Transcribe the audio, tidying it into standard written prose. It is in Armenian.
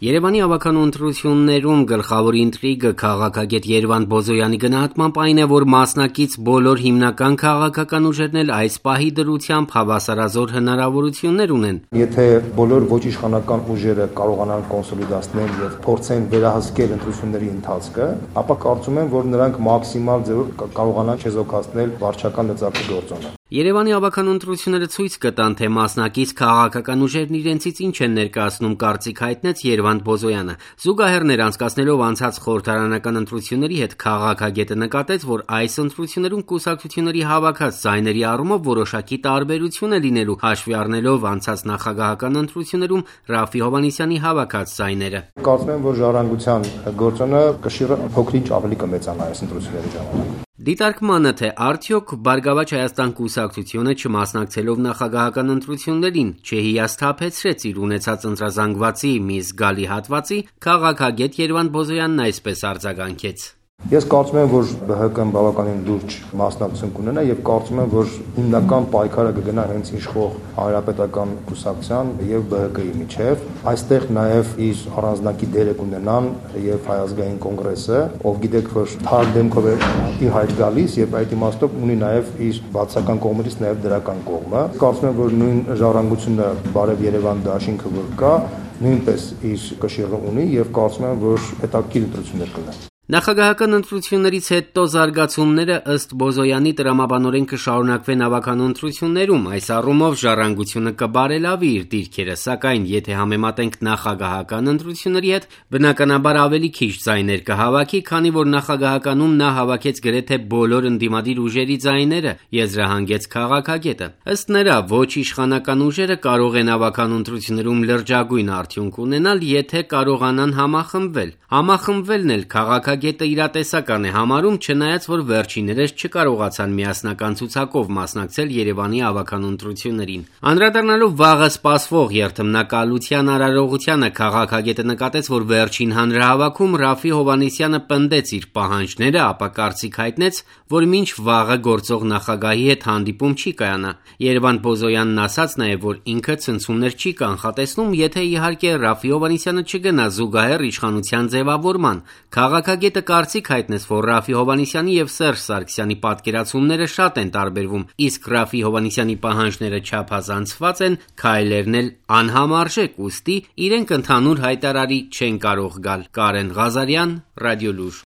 Երևանի ավականու ընտրություններում գլխավոր ինտրիգը քաղաքագետ Երվանդ Բոզոյանի գնահատմամբ այն է, որ մասնակից բոլոր հիմնական քաղաքական ուժերն էլ այս պահի դրությամբ հավասարազոր հնարավորություններ ունեն։ Եթե բոլոր ոչ իշխանական ուժերը կարողանան կոնսոլիդացնել եւ փորձեն վերահսկել ընտրությունների ընթացքը, ապա կարծում եմ, որ նրանք մաքսիմալ ձևով կարողանան չեզոքացնել վարչական լծակի գործոնը։ Երևանի ավականու ընտրությունները ցույց կտան, թե մասնակից քաղաքական ուժերն իրենցից ինչ են ներկայացնում, կարծիք հայտնեց Երվանդ Բոզոյանը։ Զուգահեռներ անցկացնելով անցած խորհրդարանական ընտրությունների հետ քաղաքագետը նկատեց, որ այս ընտրություններում կուսակցությունների հավաքած ձայների առումով որոշակի տարբերություն է լինելու, հաշվի առնելով անցած նախագահական ընտրություններում Ռաֆֆի Հովհաննիսյանի հավաքած ձայները։ Կարծում եմ, որ ժառանգության գործոնը կշիռը փոքրինչ ավելի կմեծանա այս ընտրությունների ժամանակ։ Դիտարկմանը, թե արդյոք Բարգավաճ Հայաստան կուսակցությունը չմասնակցելով նախագահական ընտրություններին չհիասթափեցրեց իր ունեցած ընտրազանգվածի մի զգալի հատվածի, քաղաքագետ Երվանդ Բոզոյանն այսպես արձագանքեց. Ես կարծում եմ, որ ԲՀԿ-ն բավականին լուրջ մասնակցություն կունենա եւ կարծում եմ, որ հիմնական պայքարը կգնա հենց իշխող Հանրապետական կուսակցության եւ ԲՀԿ-ի միջեւ։ Այստեղ նաեւ իր առանձնակի դերը կունենան եւ Հայ ազգային կոնգրեսը, ով գիտեք, որ թարմ դեմքով է իր հայտ գալիս եւ այդ իմաստով ունի նաեւ իր բացական կողմից նաեւ դրական կողմը։ Կարծում եմ, որ նույն ժառանգությունը Բարև Երևան դաշինքը որ կա, նույնպես իր կշիռը ունի եւ կարծում եմ, որ հետաքրքիր ընտրություններ կլինեն։ Նախագահական ընտրություններից հետո զարգացումները ըստ Բոզոյանի տրամաբանորեն կշարունակվեն ավականու ընտրություններում, այս առումով ժառանգությունը կբարելավի իր դիրքերը, սակայն եթե համեմատենք նախագահական ընտրությունների հետ, բնականաբար ավելի քիչ ձայներ կհավաքի, քանի որ նախագահականում նա հավաքեց գրեթե բոլոր ընդդիմադիր ուժերի ձայները, եզրահանգեց քաղաքագետը։ Ըստ նրա, ոչ իշխանական ուժերը կարող են ավականու ընտրություններում լրջագույն արդյունք ունենալ, եթե կարողանան համախմբվել։ Համախմբվելն էլ քաղաքագետը իրատեսական է համարում, չնայած որ վերջիններս չկարողացան միասնական ցուցակով մասնակցել Երևանի ավականու ընտրություններին։ Անդրադառնալով վաղը սպասվող երթմնակալության արարողությանը, քաղաքագետը նկատեց, որ վերջին հանրահավաքում Ռաֆֆի Հովհաննիսյանը պնդեց իր պահանջները, ապա կարծիք հայտնեց, որ մինչ վաղը գործող նախագահի հետ հանդիպում չի կայանա։ Երվանդ Բոզոյանն ասաց նաև, որ ինքը ցնցումներ չի կանխատեսնում, եթե իհարկե Ռաֆֆի Հովհաննիսյանը չգնա զուգահեռ իշխանության ձևավորման։ Քաղաքագետը կարծիք հայտնեց, որ Ռաֆֆի Հովհաննիսյանի եւ Սերժ Սարգսյանի պատկերացումները շատ են տարբերվում, իսկ Ռաֆֆի Հովհաննիսյանի պահանջները չափազանցված են, քայլերն էլ անհամարժեք, ուստի իրենք ընդհանուր հայտարարի չեն կարող գալ։ Կարեն Ղազարյան, Ռադիոլուր։